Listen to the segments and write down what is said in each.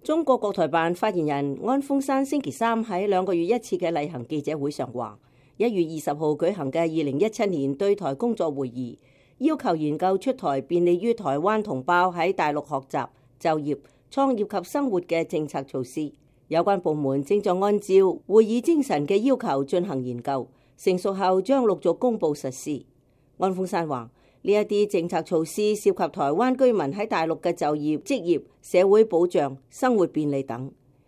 中國國台辦發言人安峰山星期三喺2個月一次嘅例行記者會上話，1月20號舉行嘅2017年對台工作會議，要求研究出台便利於台灣同胞喺大陸學習、就業、創業及生活嘅政策措施。有關部門正在按照會議精神嘅要求進行研究，成熟後將陸續公佈實施。安峰山話：呢一啲政策措施涉及台灣居民喺大陸嘅就業、職業、社會保障、生活便利等。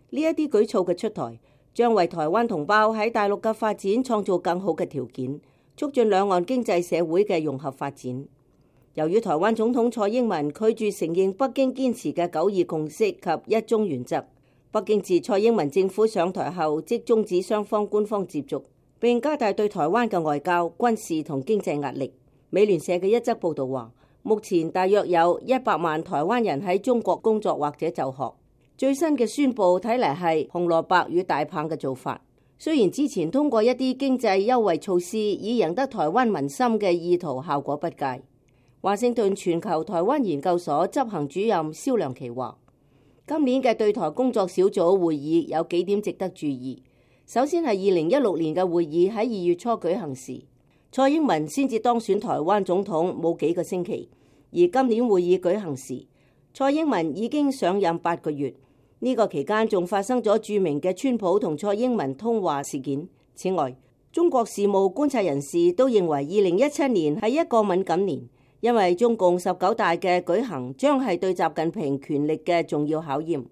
呢一啲舉措嘅出台，將為台灣同胞喺大陸嘅發展創造更好嘅條件，促進兩岸經濟社會嘅融合發展。由於台灣總統蔡英文拒絕承認北京堅持嘅9·2共識及一中原則，北京自蔡英文政府上台後即終止雙方官方接觸，並加大對台灣嘅外交、軍事同經濟壓力。美聯社嘅一則報道話，目前大約有100萬台灣人喺中國工作或者就學。最新嘅宣佈睇嚟係紅蘿蔔與大棒嘅做法。雖然之前通過一啲經濟優惠措施以贏得台灣民心嘅意圖效果不佳。華盛頓全球台灣研究所執行主任蕭良琪話，今年嘅對台工作小組會議有幾點值得注意。首先係2016年嘅會議喺2月初舉行時，蔡英文先至當選台灣總統冇幾個星期，而今年會議舉行時，蔡英文已經上任8個月。呢個期間仲發生咗著名嘅川普同蔡英文通話事件。此外，中國事務觀察人士都認為2017年係一個敏感年，因為中共19大嘅舉行將係對習近平權力嘅重要考驗。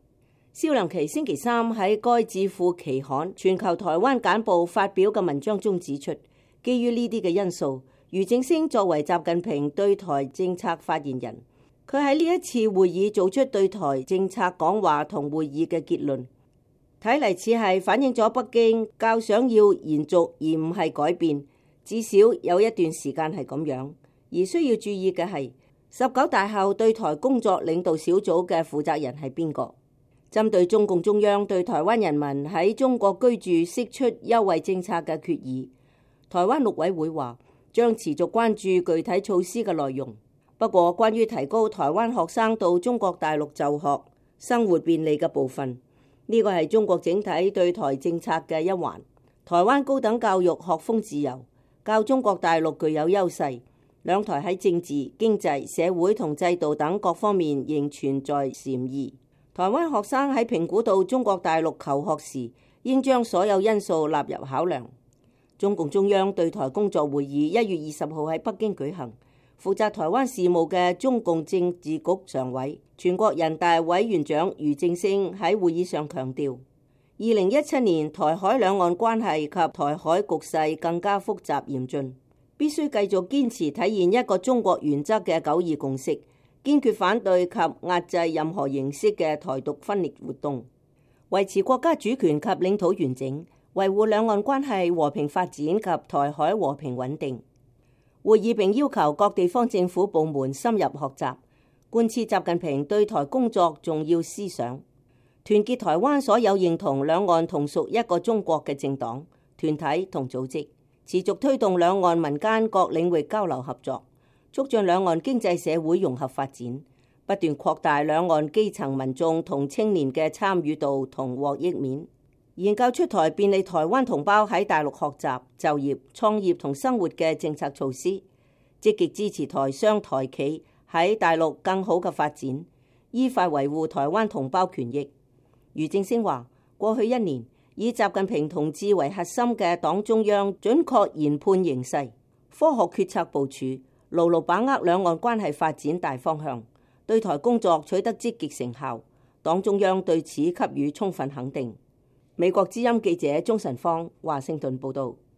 蕭良琪星期三喺該智庫期刊《全球台灣簡報》發表嘅文章中指出，基於呢啲嘅因素，俞正聲作為習近平對台政策發言人，佢喺呢一次會議做出對台政策講話同會議嘅結論，睇嚟似係反映咗北京較想要延續而唔係改變，至少有一段時間係咁樣。而需要注意嘅係19大後對台工作領導小組嘅負責人係邊個？針對中共中央對台灣人民喺中國居住釋出優惠政策嘅決議，台灣陸委會話將持續關注具體措施嘅內容。不過，關於提高台灣學生到中國大陸就學、生活便利嘅部分，呢個係中國整體對台政策嘅一環。台灣高等教育學風自由，較中國大陸具有優勢。兩台喺政治、經濟、社會同制度等各方面仍存在禪意。台灣學生喺評估到中國大陸求學時，應將所有因素納入考量。中共中央對台工作會議1月20號喺北京舉行，負責台灣事務嘅中共政治局常委、全國人大委員長俞正聲喺會議上強調，2017年台海兩岸關係及台海局勢更加複雜嚴峻，必須繼續堅持體現一個中國原則嘅9·2共識，堅決反對及壓制任何形式嘅台獨分裂活動，維持國家主權及領土完整，維護兩岸關係和平發展及台海和平穩定。會議並要求各地方政府部門深入學習，貫徹習近平對台工作重要思想，團結台灣所有認同兩岸同屬一個中國嘅政黨、團體同組織，持續推動兩岸民間各領域交流合作，促進兩岸經濟社會融合發展，不斷擴大兩岸基層民眾同青年嘅參與度同獲益面，研究出台便利台灣同胞喺大陸學習、就業、創業同生活嘅政策措施，積極支持台商台企喺大陸更好嘅發展，依法維護台灣同胞權益。俞正聲話：過去1年，以習近平同志為核心嘅黨中央準確研判形勢，科學決策部署，牢牢把握兩岸關係發展大方向，對台工作取得積極成效，黨中央對此給予充分肯定。美國之音記者鍾晨芳華盛頓報道。